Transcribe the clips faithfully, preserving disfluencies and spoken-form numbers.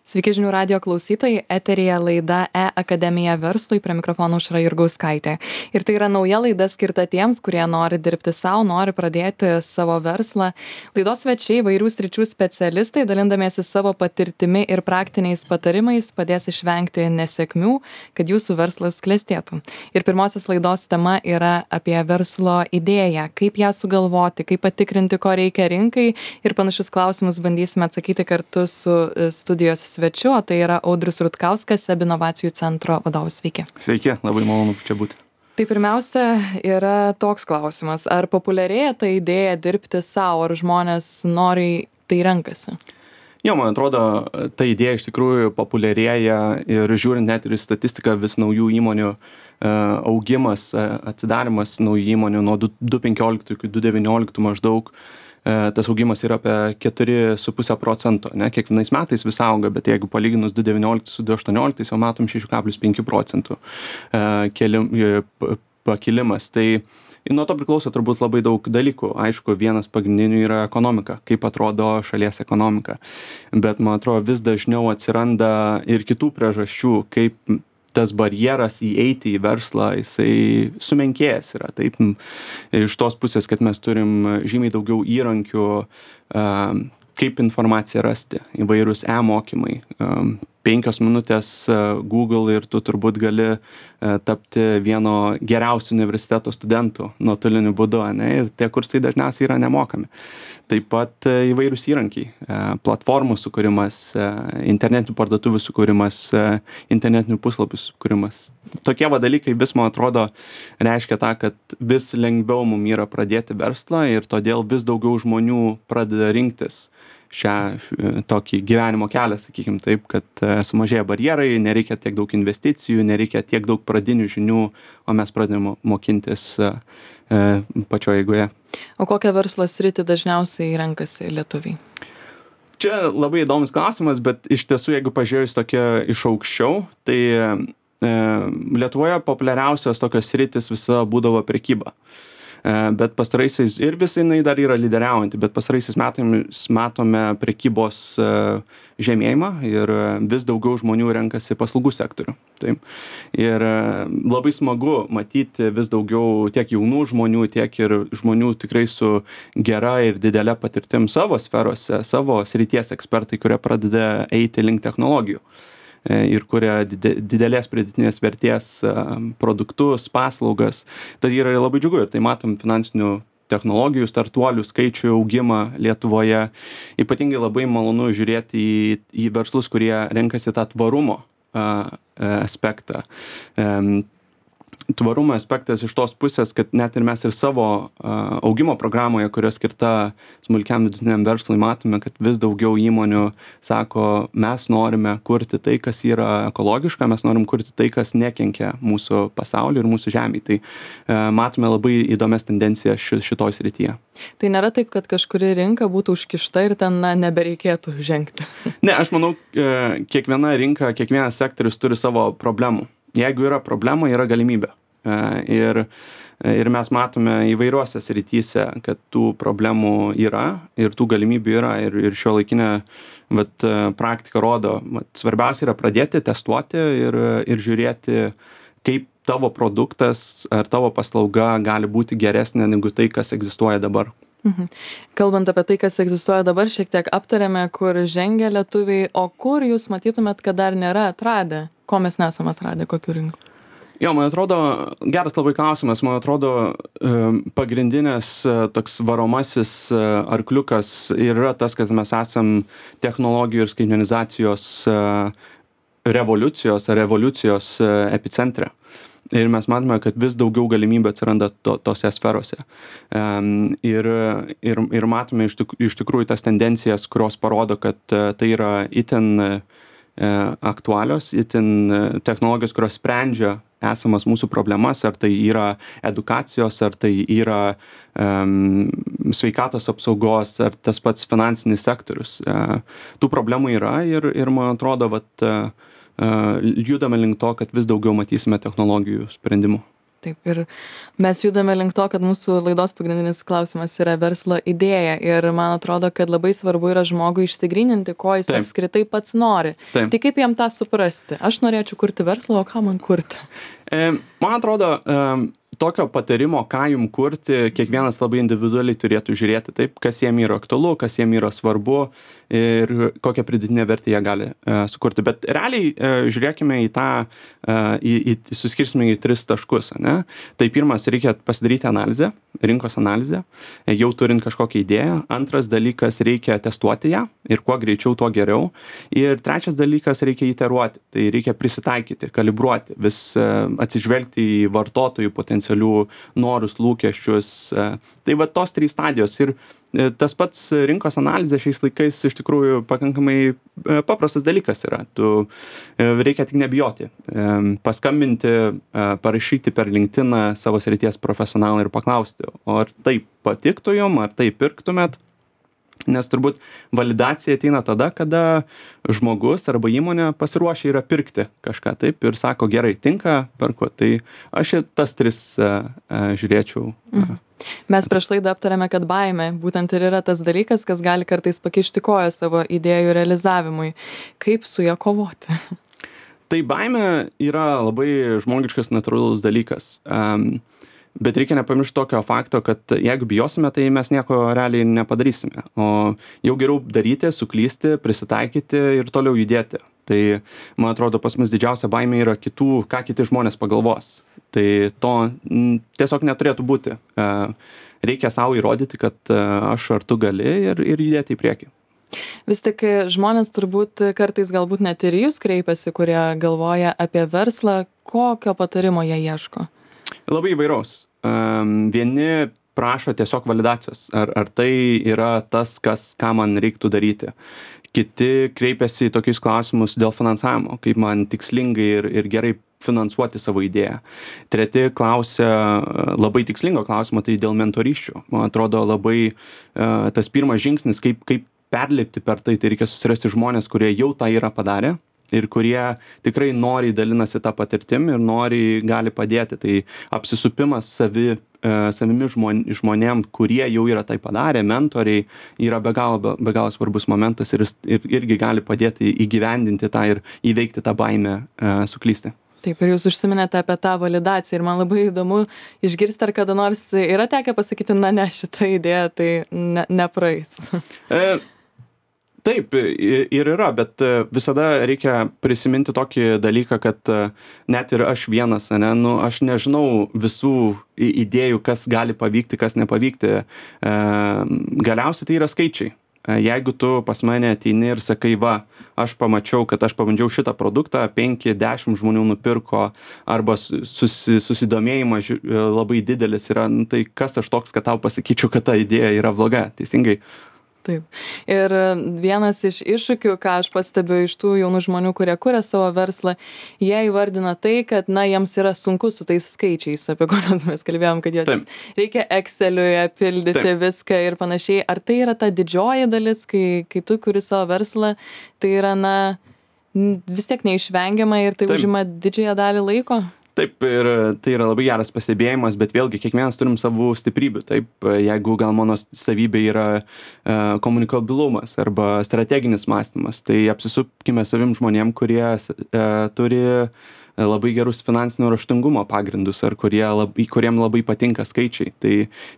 Sveiki žinių radijo klausytojai, eteryje laida E-Akademija verslui, prie mikrofono Aušra Jurgauskaitė. Ir tai yra nauja laida skirta tiems, kurie nori dirbti savo, nori pradėti savo verslą. Laidos svečiai įvairių sričių specialistai, dalindamiesi savo patirtimi ir praktiniais patarimais, padės išvengti nesėkmių, kad jūsų verslas klestėtų. Ir pirmosios laidos tema yra apie verslo idėją, kaip ją sugalvoti, kaip patikrinti, ko reikia rinkai, ir panašius klausimus bandysime atsakyti kartu su studijos svečiu, o tai yra Audrius Rutkauskas, SEB inovacijų centro vadovas. Sveiki. Sveiki, labai malonu čia būti. Tai pirmiausia yra toks klausimas, ar populiarėja ta idėja dirbti savo, ar žmonės noriai tai renkasi? Jo, man atrodo, ta idėja iš tikrųjų populiarėja ir žiūrint net ir į statistiką, vis naujų įmonių augimas, atsidarimas naujų įmonių nuo du tūkstančiai penkioliktų iki du tūkstančiai devynioliktų maždaug. Tas augimas yra apie keturi su puse procento, ne, kiekvienais metais vis auga, bet jeigu palyginus du tūkstančiai devynioliktus su du tūkstančiai aštuonioliktais, jau matom šeši kablelis penki procentų pakilimas. Tai nuo to priklauso turbūt labai daug dalykų. Aišku, vienas pagrindinių yra ekonomika, kaip atrodo šalies ekonomika. Bet, man atrodo, vis dažniau atsiranda ir kitų priežasčių, kaip tas barjeras įeiti į verslą, jisai sumenkėjęs yra. Taip, iš tos pusės, kad mes turim žymiai daugiau įrankių, kaip informaciją rasti, įvairūs e-mokymai. Penkios minutės Google ir tu turbūt gali tapti vieno geriausių universiteto studentų nuotoliniu būdu, ne? Ir tie kursai dažniausiai yra nemokami. Taip pat įvairūs įrankiai, platformų sukūrimas, internetinių parduotuvių sukūrimas, internetinių puslapių sukūrimas. Tokie va dalykai vis, man atrodo, reiškia tą, kad vis lengviau mum yra pradėti verslą ir todėl vis daugiau žmonių pradeda rinktis šią tokį gyvenimo kelią, sakykim taip, kad sumažėja barjerai, nereikia tiek daug investicijų, nereikia tiek daug pradinių žinių, o mes pradedame mokintis pačioje eigoje. O kokią verslo sritį dažniausiai renkasi lietuviai? Čia labai įdomus klausimas, bet iš tiesų, jeigu pažiūrėjus tokia iš aukščiau, tai e, Lietuvoje populiariausios tokios sritis visa būdavo prekyba. Bet pastaraisiais, ir visai jinai dar yra lyderiaujanti, bet pastaraisiais metais matome prekybos žemėjimą ir vis daugiau žmonių renkasi paslaugų sektorių. Taip. Ir labai smagu matyti vis daugiau tiek jaunų žmonių, tiek ir žmonių tikrai su gera ir didelė patirtim savo sferose, savo srities ekspertai, kurie pradeda eiti link technologijų ir kuria didelės pridėtinės vertės produktus, paslaugas. Tai yra labai džiugu ir tai matom finansinių technologijų startuolių skaičių augimą Lietuvoje. Ypatingai labai malonu žiūrėti į, į verslus, kurie renkasi tą tvarumo aspektą. Tvarumo aspektas iš tos pusės, kad net ir mes ir savo uh, augimo programoje, kurio skirta smulkiam vidutiniam verslui, matome, kad vis daugiau įmonių sako, mes norime kurti tai, kas yra ekologiška, mes norim kurti tai, kas nekenkia mūsų pasauliu ir mūsų žemei. Tai uh, matome labai įdomias tendencijas ši, šitoj srityje. Tai nėra taip, kad kažkuri rinka būtų užkišta ir ten na, nebereikėtų žengti? Ne, aš manau, uh, kiekviena rinka, kiekvienas sektorius turi savo problemų. Jeigu yra problema, yra galimybė. Ir, ir mes matome įvairiuose srityse, kad tų problemų yra ir tų galimybių yra. Ir, ir šiuolaikinė vat, praktika rodo, vat, svarbiausia yra pradėti testuoti ir, ir žiūrėti, kaip tavo produktas ar tavo paslauga gali būti geresnė negu tai, kas egzistuoja dabar. Mhm. Kalbant apie tai, kas egzistuoja dabar, šiek tiek aptarėme, kur žengia lietuviai, o kur jūs matytumėt, kad dar nėra atradę, ko mes nesam atradę, kokių rinkų? Jo, man atrodo, geras labai klausimas, man atrodo, pagrindinės toks varomasis arkliukas yra tas, kad mes esam technologijų ir skaitmenizacijos revoliucijos ar revoliucijos epicentre. Ir mes matome, kad vis daugiau galimybių atsiranda to, tose sferose. Um, ir, ir, ir matome iš, tik, iš tikrųjų tas tendencijas, kurios parodo, kad uh, tai yra itin uh, aktualios, itin uh, technologijos, kurios sprendžia esamas mūsų problemas, ar tai yra edukacijos, ar tai yra um, sveikatos apsaugos, ar tas pats finansinis sektorius. Uh, tų problemų yra ir, ir man atrodo, vat, uh, judame link to, kad vis daugiau matysime technologijų sprendimų. Taip, ir mes judame link to, kad mūsų laidos pagrindinis klausimas yra verslo idėja ir man atrodo, kad labai svarbu yra žmogui išsigryninti, ko jis Taip. apskritai pats nori. Taip. Tai kaip jam tą suprasti? Aš norėčiau kurti verslą, o ką man kurti? E, man atrodo, e, tokio patarimo, ką jum kurti, kiekvienas labai individualiai turėtų žiūrėti, taip, kas jiem yra aktualu, kas jiem yra svarbu ir kokią pridėtinę vertę jie gali e, sukurti. Bet realiai e, žiūrėkime į tą, e, į, į, suskirsime į tris taškus. Ne? Tai pirmas, reikia pasidaryti analizę, rinkos analizę, e, jau turint kažkokią idėją. Antras dalykas, reikia testuoti ją ir kuo greičiau, tuo geriau. Ir trečias dalykas, reikia iteruoti. Tai reikia prisitaikyti, kalibruoti, vis e, atsižvelgti į vartotojų potencialių norus, lūkesčius. E, tai va tos trys stadijos. Ir tas pats rinkos analizė šiais laikais iš tikrųjų pakankamai paprastas dalykas yra. Tu reikia tik nebijoti. Paskambinti, parašyti per LinkedIną savo srities profesionalą ir paklausti, ar tai patiktų jum, ar tai pirktumėt. Nes turbūt validacija ateina tada, kada žmogus arba įmonė pasiruošia yra pirkti kažką taip ir sako, gerai, tinka, perku. Tai aš tas tris uh, uh, žiūrėčiau. Mhm. Mes prieš laidą aptarėme, kad baimė būtent ir yra tas dalykas, kas gali kartais pakišti koją savo idėjų realizavimui. Kaip su ja kovoti? Tai baimė yra labai žmogiškas, natūralus dalykas. Um, Bet reikia nepamiršti tokio fakto, kad jeigu bijosime, tai mes nieko realiai nepadarysime. O jau geriau daryti, suklysti, prisitaikyti ir toliau judėti. Tai, man atrodo, pas mus didžiausia baimė yra kitų, ką kiti žmonės pagalvos. Tai to m, tiesiog neturėtų būti. E, reikia savo įrodyti, kad e, aš ar tu gali ir, ir judėti į priekį. Vis tik žmonės turbūt kartais galbūt net ir jūs kreipiasi, kurie galvoja apie verslą, kokio patarimo jie ieško? Labai įvairaus. Um, vieni prašo tiesiog validacijos, ar, ar tai yra tas, kas, ką man reiktų daryti. Kiti kreipiasi į tokius klausimus dėl finansavimo, kaip man tikslingai ir, ir gerai finansuoti savo idėją. Treti klausia labai tikslingo klausimo, tai dėl mentorysčių. Man atrodo labai uh, tas pirmas žingsnis, kaip, kaip perlipti per tai, tai reikia susirasti žmonės, kurie jau tą yra padarę ir kurie tikrai noriai dalinasi tą patirtim ir noriai gali padėti. Tai apsisupimas savi, e, savimi žmon, žmonėm, kurie jau yra tai padarę, mentoriai, yra be galo, be, be galo svarbus momentas ir, ir irgi gali padėti įgyvendinti tą ir įveikti tą baimę e, suklysti. Taip, ir jūs užsiminėte apie tą validaciją ir man labai įdomu išgirsti, ar kada nors yra tekę pasakyti, na ne, šitą idėją tai ne, nepraeis. E, Taip, ir yra, bet visada reikia prisiminti tokį dalyką, kad net ir aš vienas, ne, nu, aš nežinau visų idėjų, kas gali pavykti, kas nepavykti. Galiausiai tai yra skaičiai. Jeigu tu pas mane ateini ir sakai, va, aš pamačiau, kad aš pabandžiau šitą produktą, penki dešimt žmonių nupirko arba susi, susidomėjimas labai didelis yra, nu, tai kas aš toks, kad tau pasakyčiau, kad ta idėja yra bloga, teisingai. Taip. Ir vienas iš iššūkių, ką aš pastebiu iš tų jaunų žmonių, kurie kuria savo verslą, jie įvardina tai, kad, na, jiems yra sunku su tais skaičiais, apie kuriuos mes kalbėjom, kad jas reikia Exceliuje pildyti Taip. Viską ir panašiai. Ar tai yra ta didžioji dalis, kai, kai tu kuri savo verslą, tai yra, na, vis tiek neišvengiama ir tai Taip. Užima didžiąją dalį laiko? Taip, ir tai yra labai geras pastebėjimas, bet vėlgi kiekvienas turim savų stiprybių. Taip, jeigu gal mano savybė yra e, komunikabilumas arba strateginis mąstymas, tai apsisupkime savim žmonėm, kurie e, turi labai gerus finansinio raštingumo pagrindus ar kurie labai, kuriem labai patinka skaičiai. Tai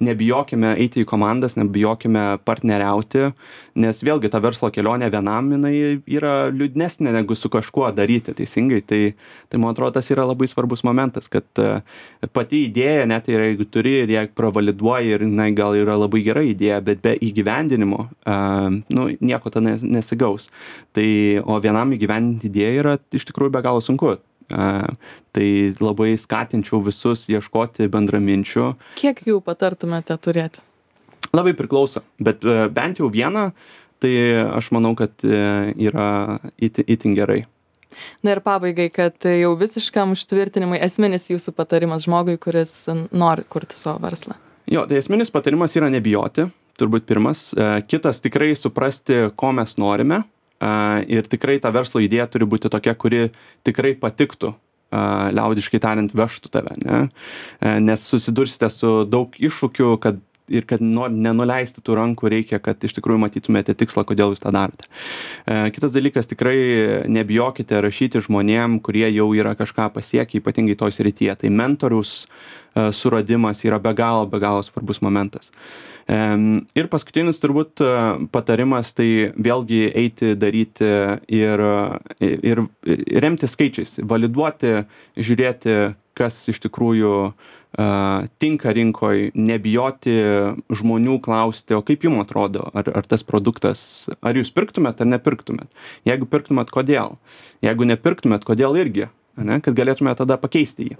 nebijokime eiti į komandas, nebijokime partneriauti, nes vėlgi ta verslo kelionė vienam jinai yra liūdnesnė negu su kažkuo daryti, teisingai. Tai, tai man atrodo, tas yra labai svarbus momentas, kad pati idėja, net ir jeigu turi ir jeigu pravaliduoji ir na, gal yra labai gera idėja, bet be įgyvendinimo uh, nu, nieko ta nesigaus. Tai, o vienam įgyvendinti idėją yra iš tikrųjų be galo sunku. Uh, tai labai skatinčiau visus ieškoti bendraminčių. Kiek jų patartumėte turėti? Labai priklauso, bet uh, bent jau vieną, tai aš manau, kad uh, yra itin, itin gerai. Na ir pabaigai, kad jau visiškam užtvirtinimui esminis jūsų patarimas žmogui, kuris nori kurti savo verslą. Jo, tai esminis patarimas yra nebijoti, turbūt pirmas. Uh, kitas tikrai suprasti, ko mes norime. Uh, ir tikrai ta verslo idėja turi būti tokia, kuri tikrai patiktų a, liaudiškai tariant, vežtų tave, ne? E, nes susidursite su daug iššūkių, kad ir kad nor, nenuleisti tų rankų reikia, kad iš tikrųjų matytumėte tikslą, kodėl jūs tą darote. E, kitas dalykas, tikrai nebijokite rašyti žmonėm, kurie jau yra kažką pasiekę, ypatingai toj srityje. Tai mentoriaus e, suradimas yra be galo, be galo svarbus momentas. E, ir paskutinis turbūt e, patarimas, tai vėlgi eiti, daryti ir, ir, ir remti skaičiais, validuoti, žiūrėti, kas iš tikrųjų uh, tinka rinkoj, nebijoti žmonių klausti, o kaip jums atrodo, ar, ar tas produktas, ar jūs pirktumėt ar nepirktumėt. Jeigu pirktumėt, kodėl? Jeigu nepirktumėt, kodėl irgi, ne? Kad galėtumėt tada pakeisti jį.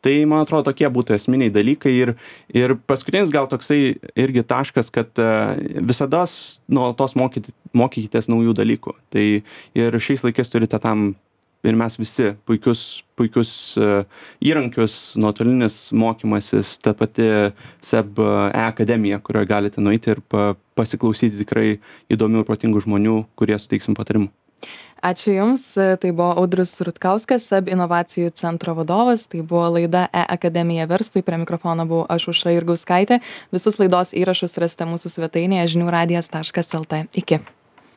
Tai, man atrodo, tokie būtų esminiai dalykai ir, ir paskutinis gal toksai irgi taškas, kad uh, visada nuolatos mokyti, mokykitės naujų dalykų. Tai ir šiais laikais turite tam ir mes visi puikius, puikius uh, įrankius, nuotolinis mokymasis, ta pati S E B e-akademija, kurioje galite nueiti ir pa, pasiklausyti tikrai įdomių ir protingų žmonių, kurie suteiksim patarimų. Ačiū Jums, tai buvo Audrius Rutkauskas, S E B inovacijų centro vadovas, tai buvo laida e-akademija verslui, prie mikrofono buvau aš Aušra Jurgauskaitė. Visus laidos įrašus rasite mūsų svetainėje žinių radijas taškas lt. Iki.